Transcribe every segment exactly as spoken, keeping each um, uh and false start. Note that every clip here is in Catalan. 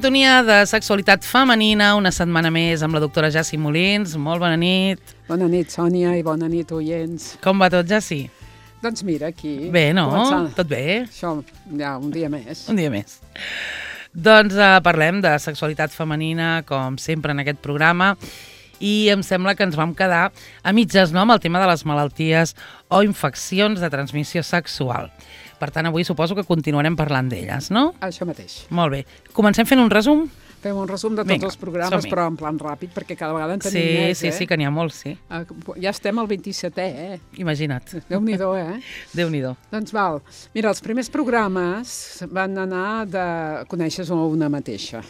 sintonia de sexualitat femenina, una setmana més amb la doctora Jassi Molins. Molt bona nit. Bona nit, Sònia, i bona nit, oients. Com va tot, Jassi? Doncs mira, aquí... Bé, no? Començant. Tot bé? Això, ja, un dia més. Un dia més. Doncs uh, parlem de sexualitat femenina, com sempre en aquest programa, i em sembla que ens vam quedar a mitges, no?, amb el tema de les malalties o infeccions de transmissió sexual. Per tant, avui suposo que continuarem parlant d'elles, no? Això mateix. Molt bé. Comencem fent un resum? Fem un resum de tots Vinga, els programes, som-hi. però en plan ràpid, perquè cada vegada en tenim Sí, més, sí, eh? sí, que n'hi ha molts, sí. Uh, ja estem al vint-i-setè, eh? Imagina't. Déu-n'hi-do, eh? Déu-n'hi-do. Doncs val. Mira, els primers programes van anar de conèixer una mateixa.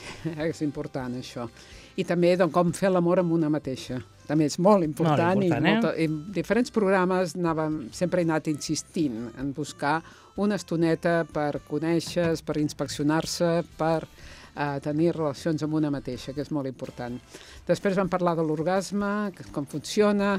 És important, això. I també de com fer l'amor amb una mateixa. També és molt important. Molt important, i, molta, i en diferents programes anàvem, sempre he anat insistint en buscar una estoneta per conèixer, per inspeccionar-se, per uh, tenir relacions amb una mateixa, que és molt important. Després vam parlar de l'orgasme, com funciona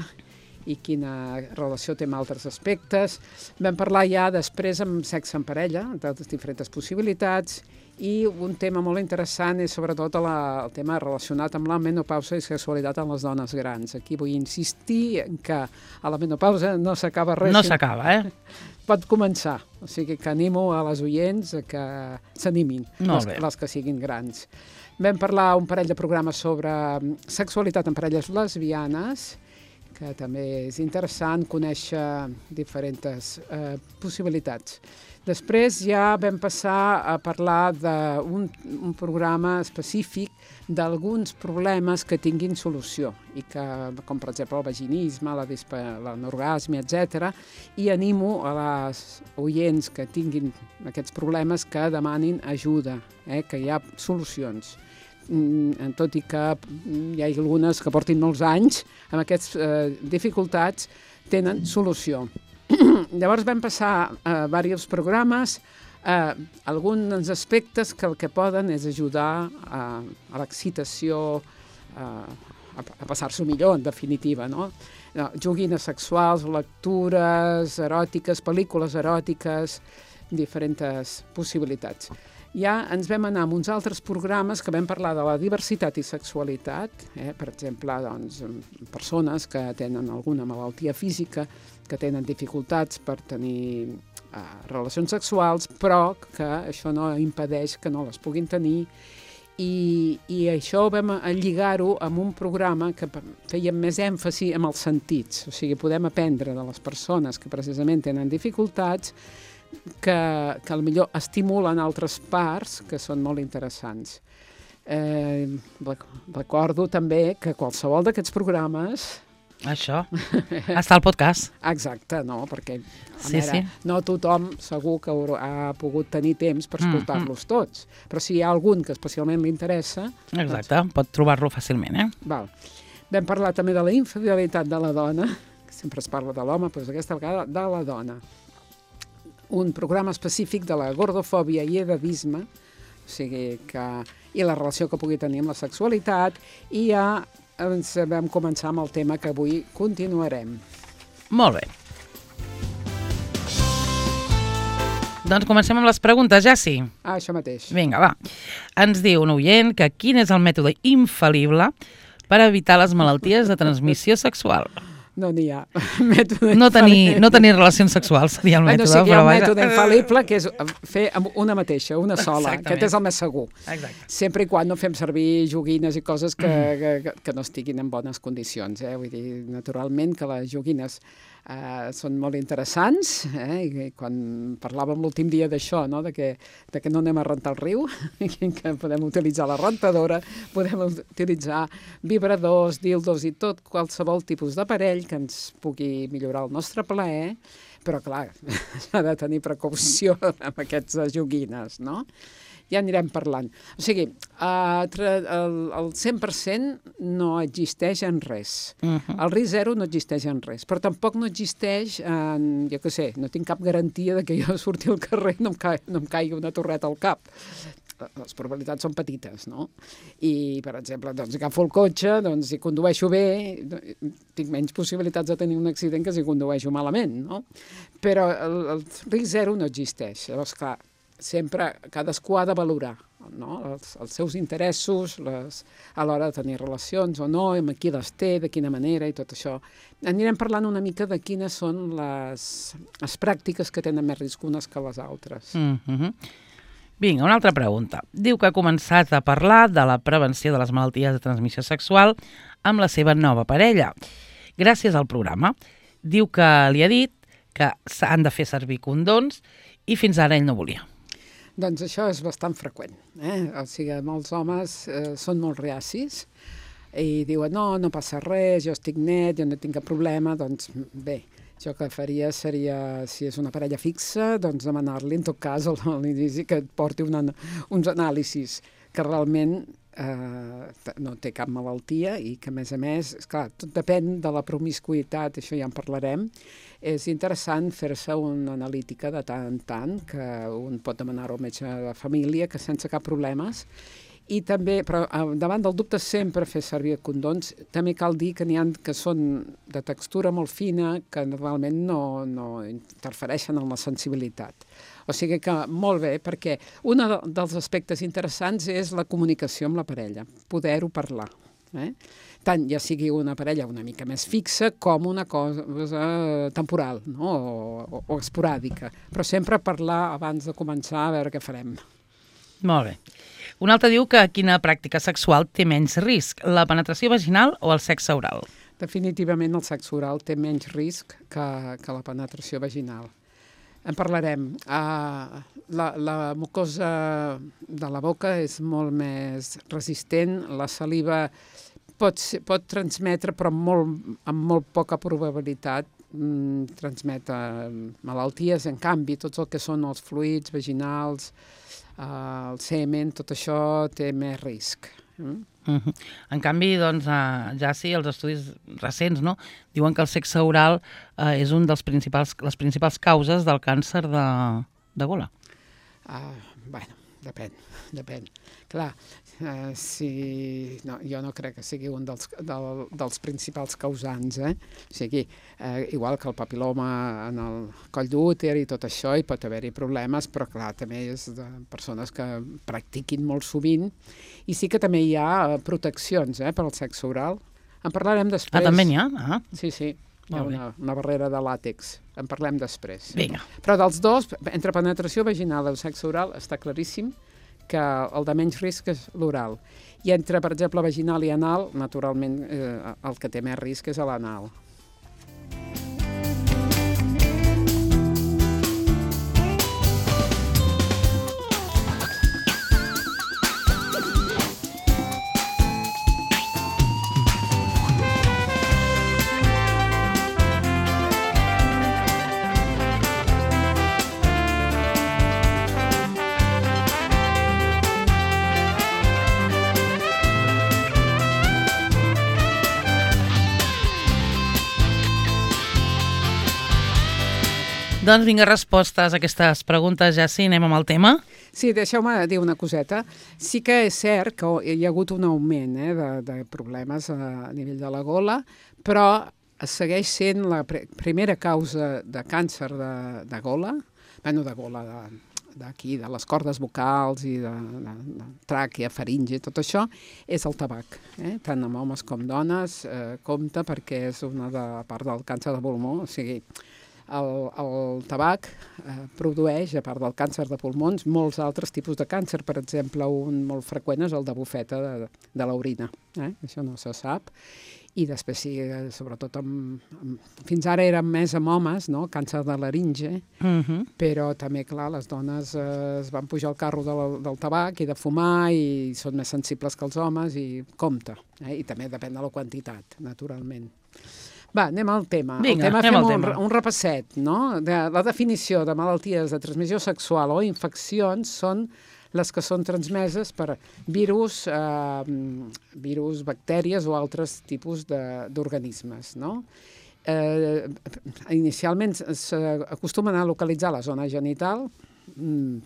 i quina relació té amb altres aspectes. Vam parlar ja després amb sexe en parella, de les diferents possibilitats, i un tema molt interessant és sobretot la, el tema relacionat amb la menopausa i sexualitat en les dones grans. Aquí vull insistir que a la menopausa no s'acaba res. No s'acaba, eh? Pot començar, o sigui que animo a les oients a que s'animin, les, les que siguin grans. Vam parlar un parell de programes sobre sexualitat en parelles lesbianes, que també és interessant conèixer diferents eh, possibilitats. Després ja vam passar a parlar d'un un programa específic d'alguns problemes que tinguin solució, i que, com per exemple el vaginisme, la dispa, l'anorgasme, etcètera. I animo a les oients que tinguin aquests problemes que demanin ajuda, eh, que hi ha solucions. Mm, tot i que hi ha algunes que portin molts anys amb aquestes eh, dificultats, tenen solució. Llavors vam passar a diversos programes, a alguns aspectes que el que poden és ajudar a, a l'excitació, a, a passar-s'ho millor, en definitiva, no? Joguines sexuals, lectures eròtiques, pel·lícules eròtiques, diferents possibilitats. Ja ens vam anar amb uns altres programes que vam parlar de la diversitat i sexualitat, eh? Per exemple, doncs, persones que tenen alguna malaltia física, que tenen dificultats per tenir eh, relacions sexuals, però que això no impedeix que no les puguin tenir, i, i això vam lligar-ho amb un programa que fèiem més èmfasi en els sentits, o sigui, podem aprendre de les persones que precisament tenen dificultats, que, que potser estimulen altres parts que són molt interessants. Eh, recordo també que qualsevol d'aquests programes... Això, està al podcast. Exacte, no, perquè sí, veure, sí. no tothom segur que ha pogut tenir temps per escoltar-los mm, tots, però si hi ha algun que especialment li interessa... Exacte, doncs... pot trobar-lo fàcilment, eh? Val. Vam parlar també de la infidelitat de la dona, que sempre es parla de l'home, però aquesta vegada de la dona. Un programa específic de la gordofòbia i edadisme, o sigui que, i la relació que pugui tenir amb la sexualitat, i ja ens vam començar amb el tema que avui continuarem. Molt bé. Doncs comencem amb les preguntes, Jassi. Ah, això mateix. Vinga, va. Ens diu un oient que quin és el mètode infal·lible per evitar les malalties de transmissió sexual? No n'hi ha. Mètode no, tenir, no tenir relacions sexuals seria el mètode. Bueno, sí que hi ha un mètode vaja... infal·lible, que és fer amb una mateixa, una sola. Exactament. Aquest és el més segur. Exacte. Sempre i quan no fem servir joguines i coses que, que, que no estiguin en bones condicions. Eh? Vull dir, naturalment que les joguines eh, són molt interessants, eh? I quan parlàvem l'últim dia d'això, no? de, que, de que no anem a rentar el riu, que podem utilitzar la rentadora, podem utilitzar vibradors, dildos i tot qualsevol tipus d'aparell que ens pugui millorar el nostre plaer, però clar, s'ha de tenir precaució amb aquestes joguines, no? Ja anirem parlant. O sigui, el cent per cent no existeix en res. El risc zero no existeix en res, però tampoc no existeix en, jo què sé, no tinc cap garantia de que jo surti al carrer i no em, ca no em caigui una torreta al cap. Les probabilitats són petites, no? I, per exemple, doncs, agafo el cotxe, doncs, si condueixo bé, tinc menys possibilitats de tenir un accident que si condueixo malament, no? Però el, el risc zero no existeix. Llavors, clar, sempre cadascú ha de valorar no? els, els seus interessos les, a l'hora de tenir relacions o no, amb qui les té, de quina manera i tot això. Anirem parlant una mica de quines són les, les pràctiques que tenen més risc unes que les altres. Mm-hmm. Vinga, una altra pregunta. Diu que ha començat a parlar de la prevenció de les malalties de transmissió sexual amb la seva nova parella. Gràcies al programa. Diu que li ha dit que s'han de fer servir condons i fins ara ell no volia. Doncs això és bastant freqüent. Eh? O sigui, molts homes eh, són molt reacis i diuen no, no passa res, jo estic net, jo no tinc cap problema, doncs bé, jo el que faria seria, si és una parella fixa, doncs demanar-li, en tot cas, a l'inici que et porti una, uns anàlisis que realment eh, no té cap malaltia i que, a més a més, esclar, tot depèn de la promiscuïtat, això ja en parlarem. És interessant fer-se una analítica de tant en tant, que un pot demanar-ho al metge de família, que sense cap problemes. I també, però davant del dubte sempre fer servir condons, també cal dir que n'hi ha que són de textura molt fina, que normalment no, no interfereixen en la sensibilitat. O sigui que molt bé, perquè un dels aspectes interessants és la comunicació amb la parella, poder-ho parlar. Eh? Tant ja sigui una parella una mica més fixa com una cosa temporal, no? o, o esporàdica. Però sempre parlar abans de començar a veure què farem. Molt bé. Un altre diu que quina pràctica sexual té menys risc, la penetració vaginal o el sexe oral? Definitivament el sexe oral té menys risc que, que la penetració vaginal. En parlarem. Uh, la, la mucosa de la boca és molt més resistent, la saliva pot, ser, pot transmetre, però molt, amb molt poca probabilitat, mm, transmet uh, malalties. En canvi, tots el que són els fluids vaginals, Uh, el semen, tot això té més risc. Mm? Uh-huh. En canvi, doncs, uh, ja sí, els estudis recents, no?, diuen que el sexe oral uh, és un dels principals, les principals causes del càncer de, de gola. Uh, bueno, depèn, depèn. Clar, uh, si... no, jo no crec que sigui un dels, del, dels principals causants, eh? O sigui, uh, igual que el papiloma en el coll d'úter i tot això, hi pot haver-hi problemes, però clar, també és de persones que practiquin molt sovint, i sí que també hi ha proteccions eh, per al sexe oral. En parlarem després. Ah, també n'hi ha? Ah. Sí, sí. Hi ha una, una barrera de làtex. En parlem després. Vinga. Però dels dos, entre penetració vaginal i el sexe oral, està claríssim que el de menys risc és l'oral. I entre, per exemple, vaginal i anal, naturalment, eh, el que té més risc és l'anal. Doncs vinga, respostes a aquestes preguntes, ja sí, anem amb el tema. Sí, deixeu-me dir una coseta. Sí que és cert que hi ha hagut un augment eh, de, de problemes a nivell de la gola, però segueix sent la pr primera causa de càncer de, de gola, bueno, de gola d'aquí, de, de les cordes vocals i de, de, de tràquea, faringe, tot això, és el tabac. Eh? Tant amb homes com dones, eh, compta perquè és una de, part del càncer de pulmó, o sigui, El, el tabac eh, produeix, a part del càncer de pulmons, molts altres tipus de càncer. Per exemple, un molt freqüent és el de bufeta de, de l'orina. Eh? Això no se sap. I després, sí, sobretot, amb, amb, fins ara eren més amb homes, no? Càncer de laringe, uh-huh. però també, clar, les dones eh, es van pujar al carro del, del tabac i de fumar i són més sensibles que els homes i compta. Eh? I també depèn de la quantitat, naturalment. Va, anem al tema. Vinga, el tema anem fem al un, tema. un repasset, no? De, la definició de malalties de transmissió sexual o infeccions són les que són transmeses per virus, eh, virus, bactèries o altres tipus d'organismes, no? Eh, inicialment s'acostumen a localitzar la zona genital,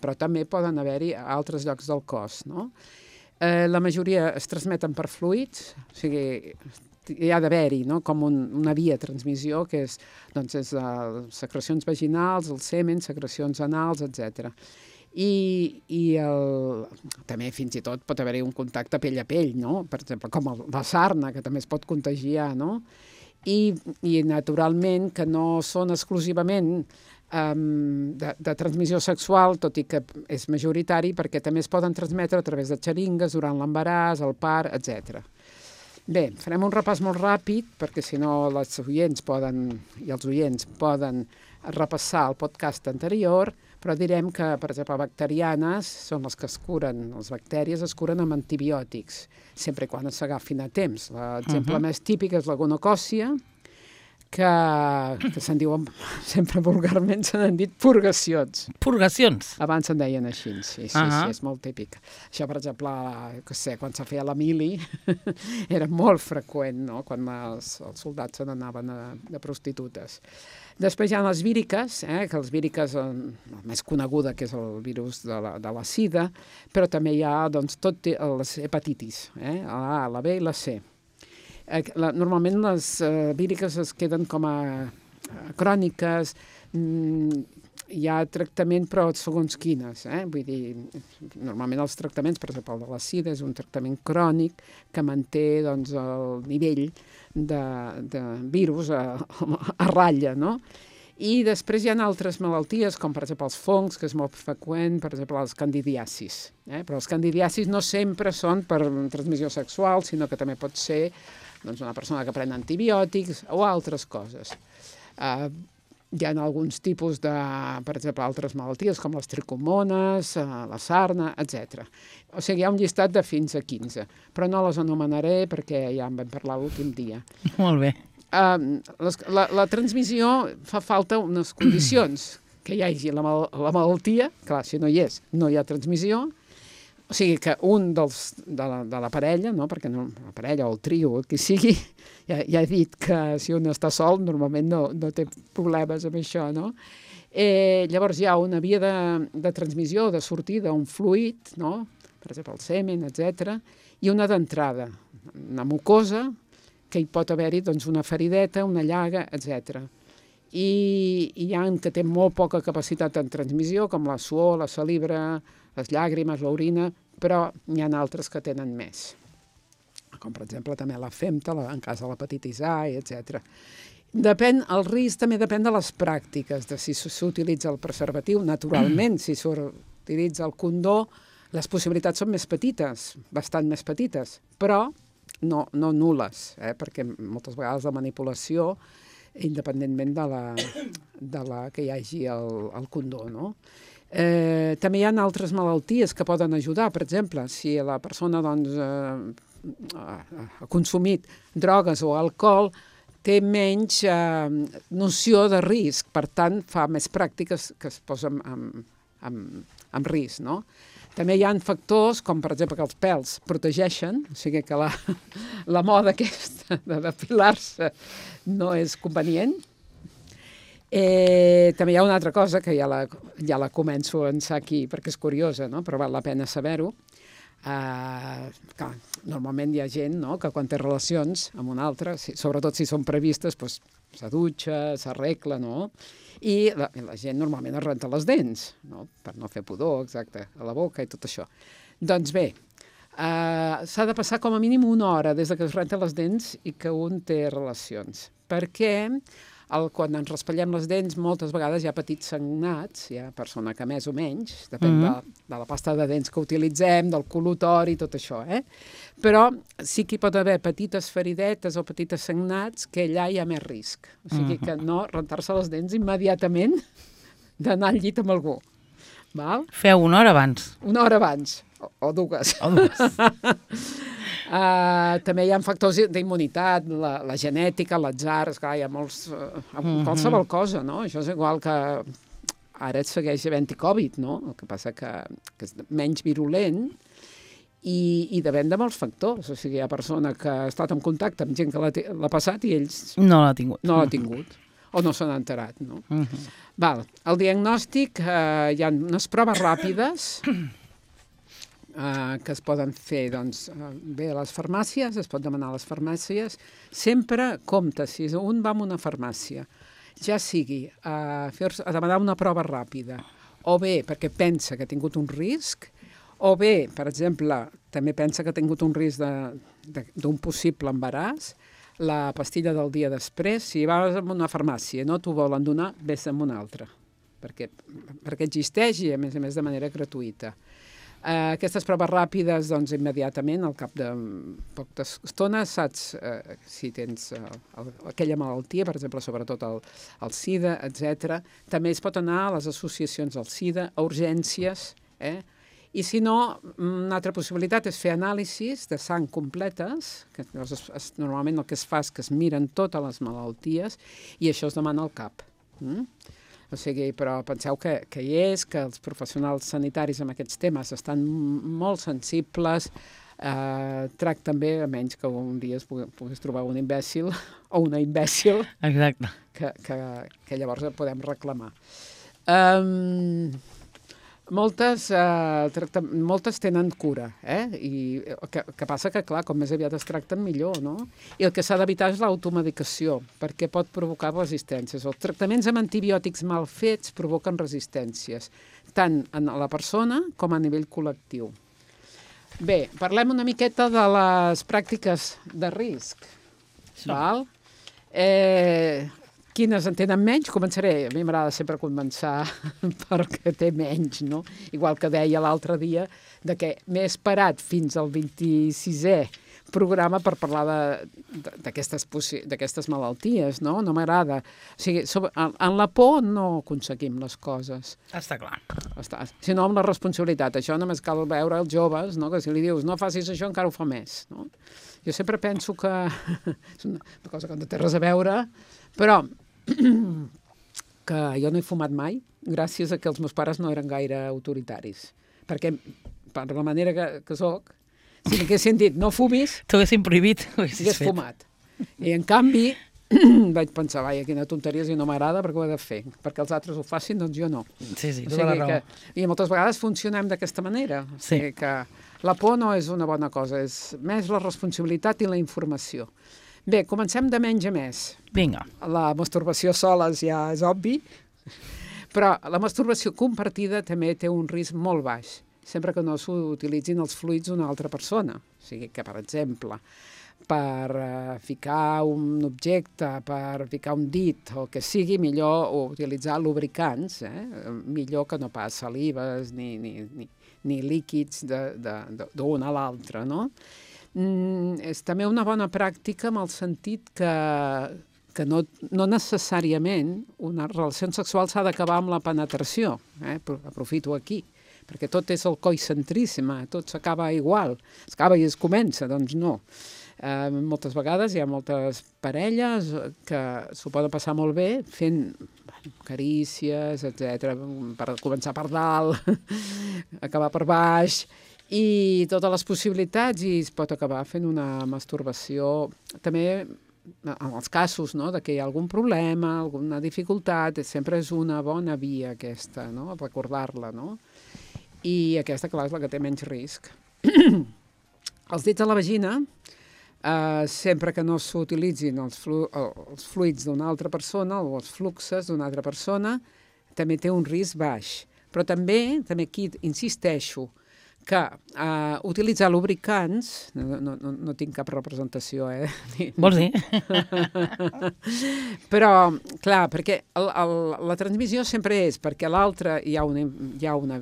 però també poden haver-hi a altres llocs del cos, no? Eh, la majoria es transmeten per fluids, o sigui, hi ha d'haver-hi, no? Com un, una via de transmissió, que és, doncs, és uh, secrecions vaginals, el semen, secrecions anals, etcètera. I, i el, també fins i tot pot haver-hi un contacte pell a pell, no? Per exemple, com el, la sarna, que també es pot contagiar, no? I, i naturalment que no són exclusivament um, de, de transmissió sexual, tot i que és majoritari, perquè també es poden transmetre a través de xeringues durant l'embaràs, el part, etcètera. Bé, farem un repàs molt ràpid, perquè si no les oients poden, i els oients poden repassar el podcast anterior, però direm que, per exemple, bacterianes són les que es curen, les bactèries es curen amb antibiòtics, sempre quan s'agafin a temps. L'exemple uh-huh. més típic és la gonocòcia, que, que se'n diuen, sempre vulgarment se n'han dit purgacions. Purgacions? Abans se'n deien així, sí, sí, uh-huh. sí, és molt típic. Això, per exemple, que sé, quan se feia la mili, era molt freqüent, no?, quan els, els soldats se n'anaven a, a prostitutes. Després hi ha les víriques, eh, que les víriques, eh, la més coneguda, que és el virus de la, de la sida, però també hi ha, doncs, tot les hepatitis, eh, la A, la B i la C. Eh, la, normalment les eh, víriques es queden com a, a cròniques, mm, hi ha tractament, però segons quines, eh? Vull dir, normalment els tractaments, per exemple, el de la sida és un tractament crònic que manté, doncs, el nivell de, de virus a, a ratlla, no? I després hi ha altres malalties, com per exemple els fongs, que és molt freqüent, per exemple els candidiasis. Eh? Però els candidiasis no sempre són per transmissió sexual, sinó que també pot ser, doncs, una persona que pren antibiòtics o altres coses. Uh, Hi ha alguns tipus de, per exemple, altres malalties, com les tricomones, la sarna, etcètera. O sigui, hi ha un llistat de fins a quinze, però no les anomenaré perquè ja en vam parlar l'últim dia. Molt bé. Uh, les, la, la transmissió fa falta unes condicions, que hi hagi la, mal, la malaltia, clar, si no hi és, no hi ha transmissió, o sigui que un dels, de, la, de la parella, no? Perquè no, la parella o el trio, el que sigui, ja, ja he dit que si un està sol normalment no, no té problemes amb això, no? Eh, llavors hi ha una via de, de transmissió, de sortida, un fluid, no? Per exemple el semen, etcètera, i una d'entrada, una mucosa, que hi pot haver-hi, doncs, una ferideta, una llaga, etcètera. I, i hi ha que té molt poca capacitat en transmissió, com la suor, la saliva, les llàgrimes, l'orina, però n'hi ha altres que tenen més. Com, per exemple, també la femta, la, en cas de l'hepatitis A, etcètera. Depèn, el risc també depèn de les pràctiques, de si s'utilitza el preservatiu. Naturalment, si s'utilitza el condó, les possibilitats són més petites, bastant més petites, però no, no nul·les, eh? Perquè moltes vegades la manipulació, independentment de la, de la que hi hagi el, el condó, no? Eh, també hi ha altres malalties que poden ajudar. Per exemple, si la persona, doncs, eh, ha consumit drogues o alcohol, té menys eh, noció de risc, per tant fa més pràctiques que es posen en, en, en risc, no? També hi ha factors com, per exemple, que els pèls protegeixen, o sigui que la, la moda aquesta de depilar-se no és convenient. Eh, també hi ha una altra cosa que ja la, ja la començo a ençar aquí perquè és curiosa, no? Però val la pena saber-ho. Uh, clar, normalment hi ha gent, no?, que quan té relacions amb un altre, si, sobretot si són previstes, doncs, se dutxa, s'arregla, no? I la, la gent normalment es renta les dents, no?, per no fer pudor, exacte, a la boca i tot això. Doncs bé, uh, s'ha de passar com a mínim una hora des que es renta les dents i que un té relacions, perquè el, quan ens raspallem les dents moltes vegades hi ha petits sagnats, hi ha persona que més o menys, depèn mm-hmm. de, de la pasta de dents que utilitzem, del col·lutori, tot això, eh? Però sí que hi pot haver petites feridetes o petites sagnats que allà hi ha més risc. O sigui mm-hmm. que no rentar-se les dents immediatament d'anar al llit amb algú. Val? Feu una hora abans. Una hora abans, o, o dues. O dues. Uh, també hi ha factors d'immunitat, la, la genètica, l'atzar, esclar, hi ha molts... Uh, mm-hmm. qualsevol cosa, no? Això és igual que ara et segueix havent-hi Covid, no? El que passa que, que és menys virulent i, i depèn de molts factors. O sigui, hi ha persona que ha estat en contacte amb gent que l'ha passat i ells... No l'ha tingut. No l'ha tingut. O no s'han enterat, no? Mm-hmm. Val. El diagnòstic, uh, hi ha unes proves ràpides Uh, que es poden fer, doncs, uh, bé a les farmàcies, es pot demanar a les farmàcies. Sempre compte, si un va a una farmàcia, ja sigui a, fer, a demanar una prova ràpida o bé perquè pensa que ha tingut un risc, o bé, per exemple, també pensa que ha tingut un risc d'un possible embaràs, la pastilla del dia després, si vas a una farmàcia i no t'ho volen donar, vés a una altra, perquè, perquè existeix i, a més a més, de manera gratuïta. Uh, aquestes proves ràpides, doncs, immediatament, al cap de poca estona, saps uh, si tens uh, el, aquella malaltia, per exemple, sobretot el, el SIDA, etcètera. També es pot anar a les associacions del SIDA, a urgències, eh? I si no, una altra possibilitat és fer anàlisis de sang completes, que es, es, normalment el que es fa és que es miren totes les malalties i això es demana al cap. Mm? O sigui, però penseu que, que hi és, que els professionals sanitaris amb aquests temes estan molt sensibles, eh, tracten bé, a menys que un dia es pugui, puguis trobar un imbècil o una imbècil. Exacte. Que, que, que llavors podem reclamar. Um, Moltes, eh, tracta, moltes tenen cura, eh? I que, que passa que, clar, com més aviat es tracten, millor, no? I el que s'ha d'evitar és l'automedicació, perquè pot provocar resistències. Els tractaments amb antibiòtics mal fets provoquen resistències, tant en la persona com a nivell col·lectiu. Bé, parlem una miqueta de les pràctiques de risc. Val? Eh... Quines en tenen menys? Començaré. A mi m'agrada sempre començar perquè té menys, no? Igual que deia l'altre dia de que m'he esperat fins al vint-i-sisè programa per parlar d'aquestes malalties, no? No m'agrada. O sigui, sobre, en, en la por no aconseguim les coses. Està clar. Està, sinó amb la responsabilitat. Això només cal veure els joves, no? Que si li dius no facis això encara ho fa més, no? Jo sempre penso que és una, una cosa que no té res a veure, però que jo no he fumat mai gràcies a que els meus pares no eren gaire autoritaris. Perquè, per la manera que, que soc, si m'haguessin dit no fumis, t'ho haguessin prohibit, ho haguessis fet. fumat. I en canvi vaig pensar, vaja, quina tonteria, si no m'agrada, perquè ho he de fer. Perquè els altres ho facin, doncs jo no. Sí, sí, o tota la raó. Que, I moltes vegades funcionem d'aquesta manera. O sigui sí. que la por no és una bona cosa, és més la responsabilitat i la informació. Bé, comencem de menys a més. Vinga. La masturbació sola ja és obvi, però la masturbació compartida també té un risc molt baix, sempre que no s'utilitzin els fluids d'una altra persona. O sigui que, per exemple, per uh, ficar un objecte, per ficar un dit o el que sigui, millor utilitzar lubricants, eh? Millor que no pas salives ni, ni, ni, ni líquids d'un a l'altre, no? Mm, és també una bona pràctica en el sentit que, que no, no necessàriament una relació sexual s'ha d'acabar amb la penetració. Eh? Aprofito aquí, perquè tot és el coicentrisme, tot s'acaba igual. Es acaba i es comença, doncs no. Eh, moltes vegades hi ha moltes parelles que s'ho poden passar molt bé fent bueno, carícies, etcètera, per començar per dalt, acabar per baix, i totes les possibilitats, i es pot acabar fent una masturbació també en els casos, no?, de que hi ha algun problema, alguna dificultat, sempre és una bona via aquesta, no?, recordar-la, no? I aquesta, clar, és la que té menys risc. Els dits a la vagina, eh, sempre que no s'utilitzin els, flu els fluids d'una altra persona o els fluxes d'una altra persona, també té un risc baix. Però també, també aquí insisteixo, que uh, utilitzar lubricants, no, no, no, no tinc cap representació, eh? Vols dir? Però, clar, perquè el, el, la transmissió sempre és perquè a l'altre hi ha, una, hi ha una,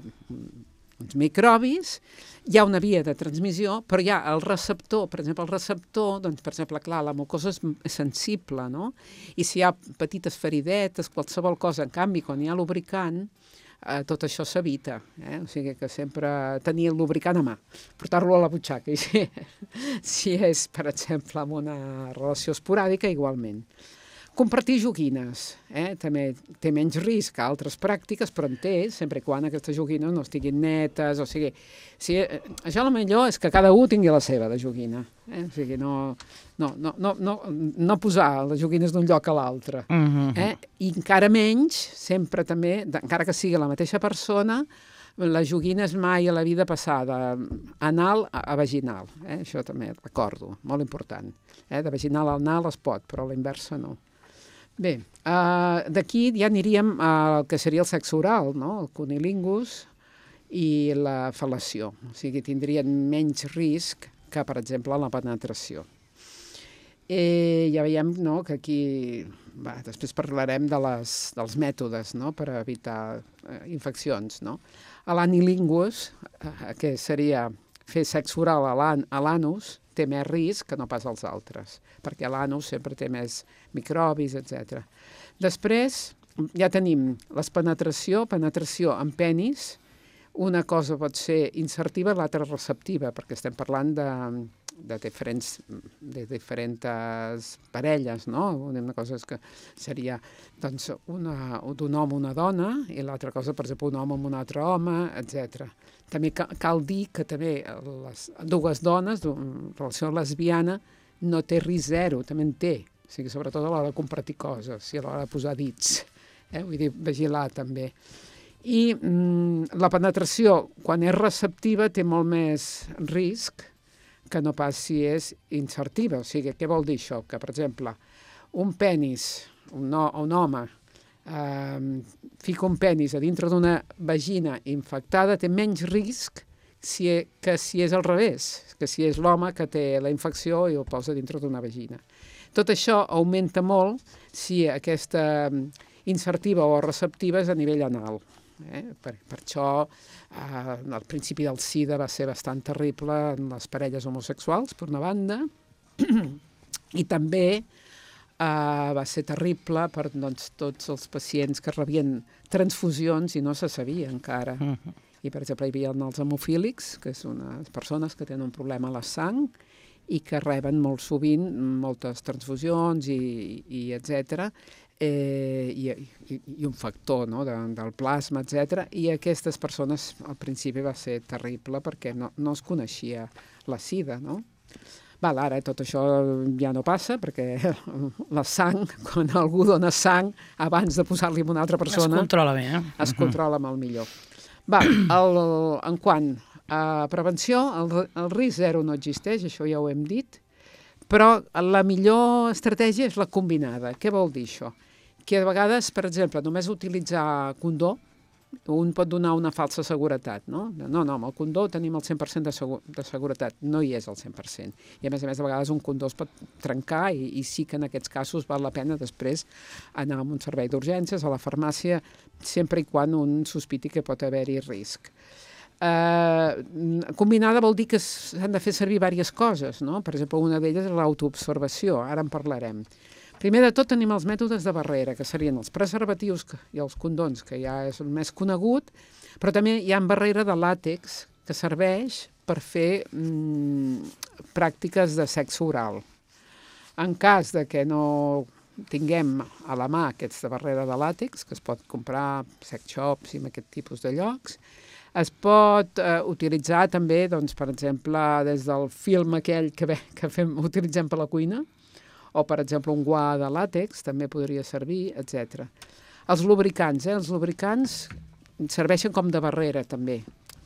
uns microbis, hi ha una via de transmissió, però hi ha el receptor, per exemple, el receptor, doncs, per exemple, clar, la mucosa és sensible, no? I si hi ha petites feridetes, qualsevol cosa, en canvi, quan hi ha lubricant, Uh, tot això s'evita, eh? O sigui que sempre tenir el lubricant a mà, portar-lo a la butxaca, i si, si és, per exemple, amb una relació esporàdica, igualment. Compartir joguines, eh? També té menys risc que altres pràctiques, però en té, sempre quan aquestes joguines no estiguin netes, o sigui, si, eh, això el millor és que cada un tingui la seva de joguina, eh? O sigui, no, no, no, no, no, no posar les joguines d'un lloc a l'altre, uh-huh. eh? I encara menys, sempre també, encara que sigui la mateixa persona, la joguina és mai a la vida passada anal a, a vaginal, eh? Això també recordo, molt important, eh? De vaginal a anal es pot, però a la inversa no. Bé, uh, d'aquí ja aniríem al que seria el sexe oral, no? El cunilingus i la fel·lació. O sigui, tindrien menys risc que, per exemple, la penetració. Eh, ja veiem, no?, que aquí... Va, després parlarem de les, dels mètodes, no?, per evitar eh, infeccions, no? A l'anilingus, eh, que seria fer sexe oral a l'anus, té més risc que no pas als altres, perquè l'anus sempre té més microbis, etcètera. Després ja tenim les penetració, penetració amb penis. Una cosa pot ser insertiva, l'altra receptiva, perquè estem parlant de, de, diferents, de diferents parelles, no? Una cosa és que seria doncs, una, d'un home una dona i l'altra cosa, per exemple, un home amb un altre home, etcètera. També cal dir que també les dues dones, en relació lesbiana, no té risc zero, també en té. O sigui, sobretot a l'hora de compartir coses i a l'hora de posar dits. Eh? Vull dir, vigilar també. I mm, la penetració, quan és receptiva, té molt més risc que no pas si és insertiva. O sigui, què vol dir això? Que, per exemple, un penis, un, no, un home, eh, fica un penis a dintre d'una vagina infectada, té menys risc si, que si és al revés, que si és l'home que té la infecció i ho posa dintre d'una vagina. Tot això augmenta molt si aquesta insertiva o receptiva és a nivell anal. Eh? Per, per això eh, al principi del SIDA va ser bastant terrible en les parelles homosexuals, per una banda, i també eh, va ser terrible per doncs, tots els pacients que rebien transfusions i no se sabia encara. Uh-huh. I, per exemple, hi havia els hemofílics, que són unes persones que tenen un problema a la sang i que reben molt sovint moltes transfusions i, i etcètera, Eh, i, i, i un factor, no?, de, del plasma, etcètera. I aquestes persones al principi va ser terrible perquè no, no es coneixia la sida, no? Val, ara tot això ja no passa perquè la sang, quan algú dona sang, abans de posar-li a una altra persona... Es controla bé, eh? Es controla molt millor. Val, el, en quant a prevenció, el, el risc zero no existeix, això ja ho hem dit, però la millor estratègia és la combinada. Què vol dir això? Que a vegades, per exemple, només utilitzar condó, un pot donar una falsa seguretat, no? No, no, amb el condó tenim el cent per cent de, segur, de seguretat, no hi és el cent per cent. I a més a més, a vegades un condó es pot trencar i, i sí que en aquests casos val la pena després anar a un servei d'urgències, a la farmàcia, sempre i quan un sospiti que pot haver-hi risc. Uh, combinada vol dir que s'han de fer servir diverses coses, no? Per exemple, una d'elles és l'autoobservació, ara en parlarem. Primer de tot tenim els mètodes de barrera, que serien els preservatius i els condons, que ja és el més conegut, però també hi ha barrera de làtex que serveix per fer mm, pràctiques de sexe oral. En cas de que no tinguem a la mà aquests de barrera de làtex, que es pot comprar sex shops i en aquest tipus de llocs, es pot eh, utilitzar també, doncs, per exemple, des del film aquell que, ve, que fem, utilitzem per la cuina, o, per exemple, un guà de làtex també podria servir, etcètera. Els lubricants, eh? Els lubricants serveixen com de barrera, també.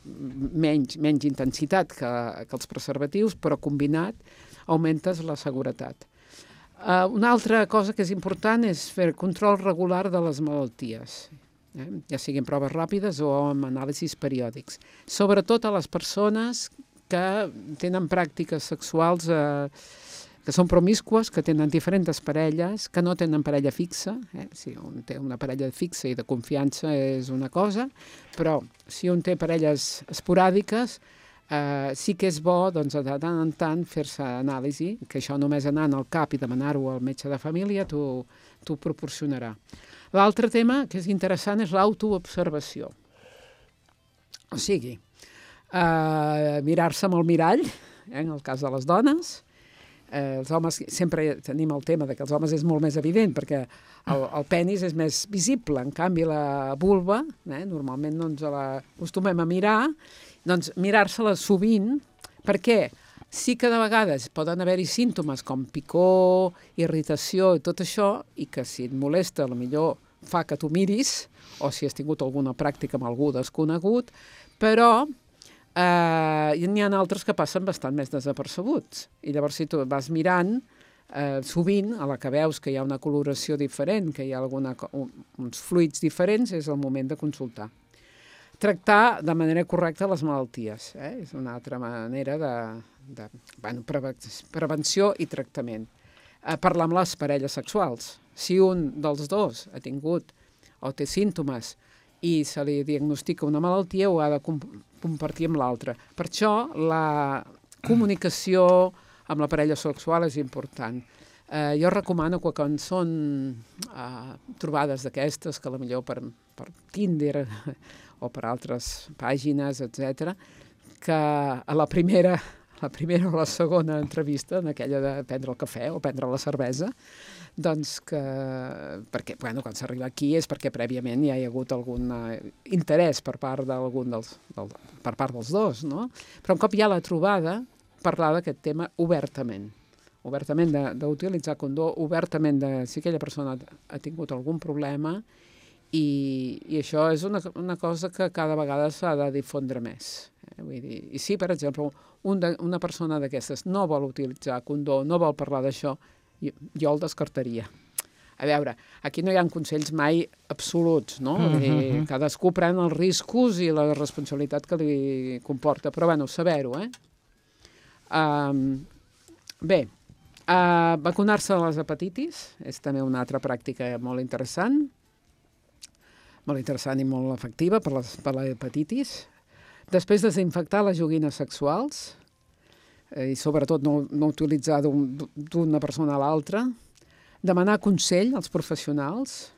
Menys, menys intensitat que, que els preservatius, però combinat augmentes la seguretat. Uh, una altra cosa que és important és fer control regular de les malalties, eh? Ja siguin proves ràpides o amb anàlisis periòdics. Sobretot a les persones que tenen pràctiques sexuals eh, que són promiscues, que tenen diferents parelles, que no tenen parella fixa. Eh? Si un té una parella fixa i de confiança és una cosa, però si un té parelles esporàdiques, eh, sí que és bo doncs, de tant en tant fer-se anàlisi, que això només anant al cap i demanar-ho al metge de família t'ho proporcionarà. L'altre tema que és interessant és l'autoobservació. O sigui, eh, mirar-se amb el mirall, eh, en el cas de les dones. Eh, els homes, sempre tenim el tema de que els homes és molt més evident perquè el, el penis és més visible, en canvi la vulva, eh, normalment no ens l'acostumem a mirar, doncs mirar-se-la sovint, perquè sí que de vegades poden haver-hi símptomes com picor, irritació i tot això, i que si et molesta potser fa que tu miris, o si has tingut alguna pràctica amb algú desconegut, però Uh, n'hi ha altres que passen bastant més desapercebuts. I llavors, si tu vas mirant, eh, sovint, a la que veus que hi ha una coloració diferent, que hi ha alguna, un, uns fluids diferents, és el moment de consultar. Tractar de manera correcta les malalties, eh? És una altra manera de, de bueno, prevenció i tractament. Eh, parlar amb les parelles sexuals. Si un dels dos ha tingut o té símptomes i se li diagnostica una malaltia, ho ha de compartir amb l'altre. Per això la comunicació amb la parella sexual és important. Eh, jo recomano que quan són eh, trobades d'aquestes, que potser per, per Tinder o per altres pàgines, etcètera, que a la primera, la primera o la segona entrevista, en aquella de prendre el cafè o prendre la cervesa, doncs que, perquè, bueno, quan s'arriba aquí és perquè prèviament ja hi ha hagut algun interès per part d'algun dels, del, per part dels dos, no? Però un cop hi ha la trobada, parlar d'aquest tema obertament, obertament d'utilitzar condó, obertament de si aquella persona ha tingut algun problema i, i això és una, una cosa que cada vegada s'ha de difondre més. Eh? Vull dir, i si, per exemple, un de, una persona d'aquestes no vol utilitzar condó, no vol parlar d'això, jo, jo el descartaria. A veure, aquí no hi ha consells mai absoluts, no? Mm -hmm. Cadascú pren els riscos i la responsabilitat que li comporta, però bueno, saber-ho, eh? Um, bé, uh, vacunar-se de les hepatitis és també una altra pràctica molt interessant, molt interessant i molt efectiva per, les, per la hepatitis. Després, desinfectar les joguines sexuals, eh, i sobretot no, no utilitzar d'una persona a l'altra. Demanar consell als professionals,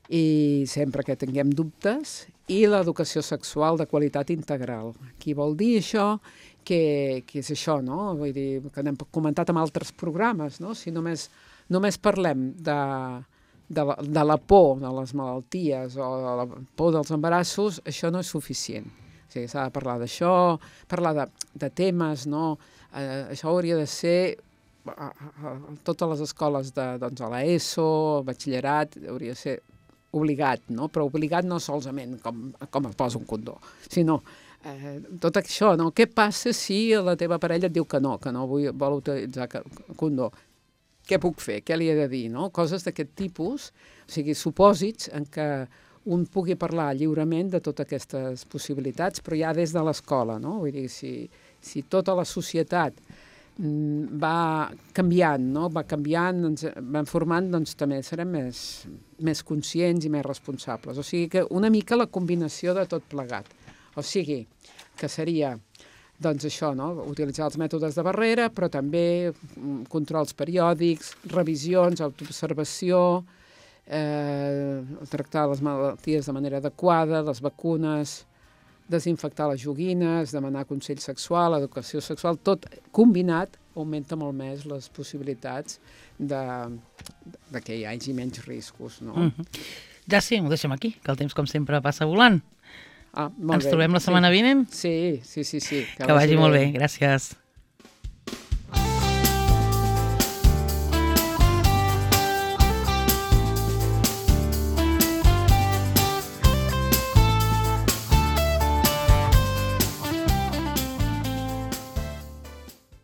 i sempre que tinguem dubtes, i l'educació sexual de qualitat integral. Qui vol dir això, que, que és això, no? Vull dir, que n'hem comentat en altres programes, no? Si només, només parlem de... De la, de la por de les malalties o de la por dels embarassos, això no és suficient. O sigui, s'ha de parlar d'això, parlar de, de temes, no? Eh, això hauria de ser a, a, a totes les escoles de, doncs, a l'ESO, batxillerat, hauria de ser obligat, no? Però obligat no solament com, com es posa un condó, sinó eh, tot això, no? Què passa si la teva parella et diu que no, que no vull, vol utilitzar condó? Què puc fer? Què li he de dir? No? Coses d'aquest tipus, o sigui, supòsits en què un pugui parlar lliurement de totes aquestes possibilitats, però ja des de l'escola, no? Vull dir, si, si tota la societat mm, va canviant, no? Va canviant, ens va formant, doncs també serem més, més conscients i més responsables. O sigui que una mica la combinació de tot plegat. O sigui, que seria... Doncs això, no? Utilitzar els mètodes de barrera, però també controls periòdics, revisions, autoobservació, eh, tractar les malalties de manera adequada, les vacunes, desinfectar les joguines, demanar consell sexual, educació sexual, tot combinat augmenta molt més les possibilitats de, de que hi hagi menys riscos, no? Mm-hmm. Ja sí, ho deixem aquí, que el temps, com sempre, passa volant. Ah, molt Ens bé. trobem la setmana sí. vinent? Sí, sí, sí. sí. Que, que vagi bé. Molt bé, gràcies.